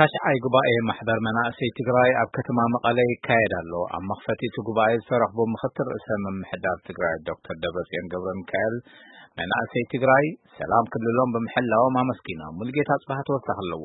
ታሽዓይ ጉባኤ ማሕበር መናእሰይ ትግራይ ኣብ ከተማ መቐለ ይካየድ ኣሎ። ኣብ መኽፈቲ እቲ ጉባኤ ዝተረኽቡ ምኽትል ርእሰ ምምሕዳር ትግራይ ዶክተር ደብረጽዮን ገብረ ሚካኤል፣ መናእሰይ ትግራይ ሰላም ክልሎም ብምሕላዎም ኣመስጊኖም። ሙሉጌታ ጽባህ ተወሳኺ ኣለዎ።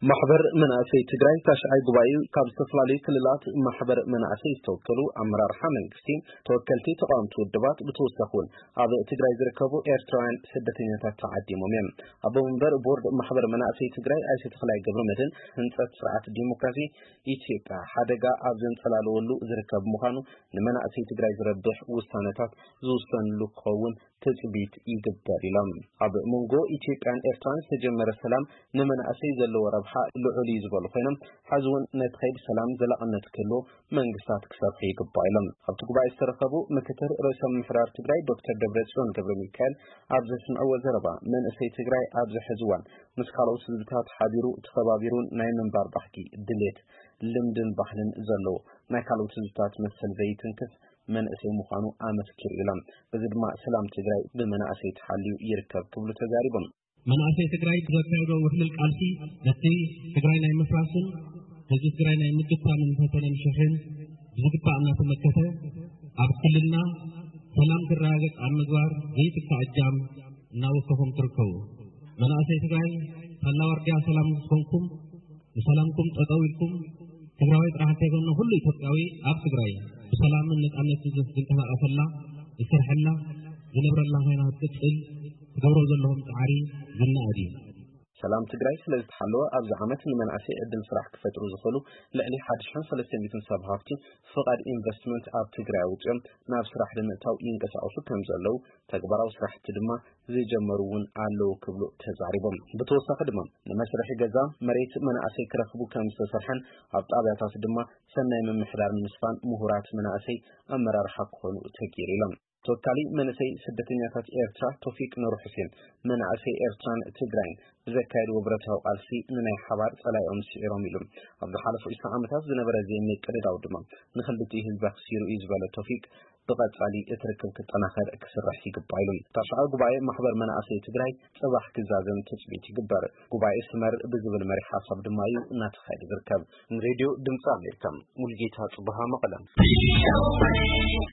ማሕበር መናእሰይ ትግራይ ታሽዓይ ጉባኤኡ ካብ ዝተፈላለዩ ክልላት ማሕበር መናእሰይ ዝተወከሉ ኣመራርሓ መንግስቲ፣ ተወከልቲ ተቃወምቲ ውድባት፣ ብተወሳኺ እውን ኣብ ትግራይ ዝርከቡ ኤርትራውያን ስደተኛታት ተዓዲሞም እዮም። ኣቦ መንበር ቦርድ ማሕበር መናእሰይ ትግራይ ኣይተ ተኽላይ ገብረ መድህን፣ ህንፀት ስርዓት ዲሞክራሲ ኢትዮጵያ ሓደጋ ኣብ ዘንጸላለወሉ ዝርከብ ምዃኑ፣ ንመናእሰይ ትግራይ ዝረብሕ ውሳነታት ዝውሰንሉ ክኸውን ትጽቢት ይግበር ኢሎም። ኣብ መንጎ ኢትዮጵያን ኤርትራን ዝተጀመረ ሰላም ንመናእሰይ ዘለዎ ረብሓ ልዑል እዩ ዝበሉ ኮይኖም፣ ሕዚ እውን ነቲ ከይዲ ሰላም ዘላቕነት ክህልዎ መንግስታት ክሰርሑ ይግባእ ኢሎም። ኣብቲ ጉባኤ ዝተረኸቡ ምክትል ርእሰ ምምሕዳር ትግራይ ዶክተር ደብረጽዮን ገብረ ሚካኤል ኣብ ዘስምዕዎ ዘረባ፣ መንእሰይ ትግራይ ኣብዚ ሕዚ እዋን ምስ ካልኦት ህዝብታት ሓቢሩ ተኸባቢሩን ናይ ምንባር ባህጊ፣ ድሌት፣ ልምድን ባህልን ዘለዎ፣ ናይ ካልኦት ህዝብታት መሰል ዘይትንክፍ መንእሰይ ምዃኑ ኣመስኪሩ ኢሎም። በዚ ድማ ሰላም ትግራይ ብመናእሰይ ተሓልዩ ይርከብ ክብሉ ተዛሪቦም። መናእሰይ ትግራይ ብዘካየዶ ውሕሉል ቃልሲ ነቲ ትግራይ ናይ ምፍራስን ህዝቢ ትግራይ ናይ ምግታምን ፈተነ ምሽሕን ብዝግባእ እናተመከተ፣ ኣብ ክልልና ሰላም ክረጋገጽ ኣብ ምግባር ዘይትካእ እጃም እናወከኹም ትርከቡ። መናእሰይ ትግራይ ሳላ ዋርድያ ሰላም ምስ ኮንኩም፣ ንሰላምኩም ጠጠው ኢልኩም፣ ትግራዋይ ጥራሕ እንተይኮነ ኩሉ ኢትዮጵያዊ ኣብ ትግራይ ብሰላምን ነፃነትን ዝንቀሳቀሰላ፣ ዝሰርሐላ፣ ዝነብረላ ኮይና ክትቅፅል ትገብሮ ዘለኹም ፃዕሪ ዝነኣድ እዩ። ሰላም ትግራይ ስለ ዝተሓለወ ኣብዚ ዓመት ንመናእሰይ ዕድል ስራሕ ክፈጥሩ ዝኽእሉ ልዕሊ ሓድሽን ሰለስተ ሚእትን ሰብ ሃፍቲ ፍቓድ ኢንቨስትመንት ኣብ ትግራይ ኣውፂኦም ናብ ስራሕ ንምእታው ይንቀሳቐሱ ከም ዘለዉ፣ ተግባራዊ ስራሕቲ ድማ ዝጀመሩ እውን ኣለዉ ክብሉ ተዛሪቦም። ብተወሳኺ ድማ ንመስርሒ ገዛ መሬት መናእሰይ ክረኽቡ ከም ዝተሰርሐን ኣብ ጣብያታት ድማ ሰናይ ምምሕዳር ንምስፋን ምሁራት መናእሰይ ኣመራርሓ ክኾኑ ተገይሩ ኢሎም። ተወካሊ መንእሰይ ስደተኛታት ኤርትራ ቶፊቅ ኑር ሁሴን፣ መናእሰይ ኤርትራን ትግራይን ብዘካየድዎ ብረታዊ ቃልሲ ንናይ ሓባር ጸላኢኦም ስዒሮም ኢሉ። ኣብ ዝሓለፉ ዕስራ ዓመታት ዝነበረ ዘይምቅድዳው ድማ ንክልቲኡ ህዝቢ ኣኽሲሩ እዩ ዝበለ ቶፊቅ፣ ብቐጻሊ እቲ ርክብ ክጠናኸር ክስራሕ ይግባእ ኢሉ። ታሽዓይ ጉባኤ ማሕበር መናእሰይ ትግራይ ጽባሕ ክዛዘም ትጽቢት ይግበር። ጉባኤ ስመር ብዝብል መሪሕ ሓሳብ ድማ እዩ እናተኻየደ ዝርከብ። ንሬድዮ ድምፂ ኣሜሪካ፣ ሙልጌታ ጽቡሃ፣ መቐለ።